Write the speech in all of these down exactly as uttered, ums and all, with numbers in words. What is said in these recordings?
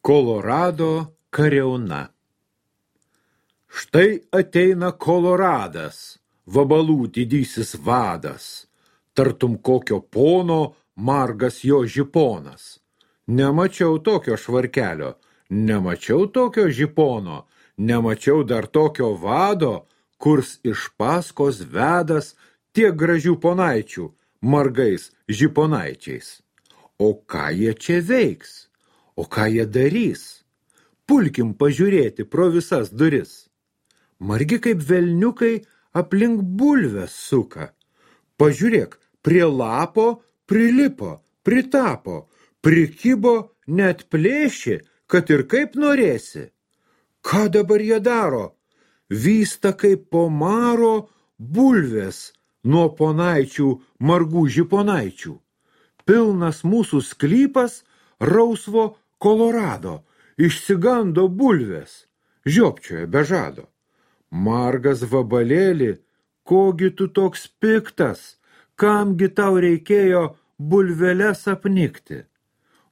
Kolorado kariauna. Štai ateina Koloradas, vabalų didysis vadas, tartum kokio pono margas jo žiponas. Nemačiau tokio švarkelio, nemačiau tokio žipono, nemačiau dar tokio vado, kurs iš paskos vedas tiek gražių ponaičių, margais žiponaičiais. O ką jie čia veiks? O ką jie darys? Pulkim pažiūrėti pro visas duris. Margi kaip velniukai aplink bulves suka. Pažiūrėk, prie lapo prilipo, pritapo, prikibo, net plėši, kad ir kaip norėsi. Ką dabar jie daro? Vysta kaip po maro bulves nuo ponaičių margų žiponaičių. Pilnas mūsų sklypas rausvo Kolorado, išsigando bulves, žiopčioja be žado. Margas vabalėli, kogi tu toks piktas, kamgi tau reikėjo bulveles apnikti?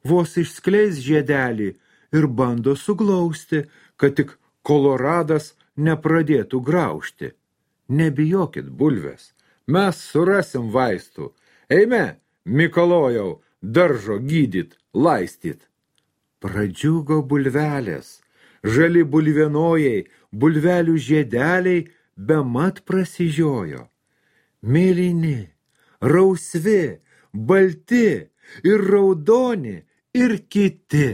Vos išskleis žiedelį ir bando suglausti, kad tik Koloradas nepradėtų graužti. Nebijokit bulves, mes surasim vaistų. Eime, Mikalojau, daržo gydyt, laistyt. Pradžiugo bulvelės, žali bulvienojai, bulvelių žiedeliai bemat prasižiojo. Mėlyni, rausvi, balti ir raudoni ir kiti.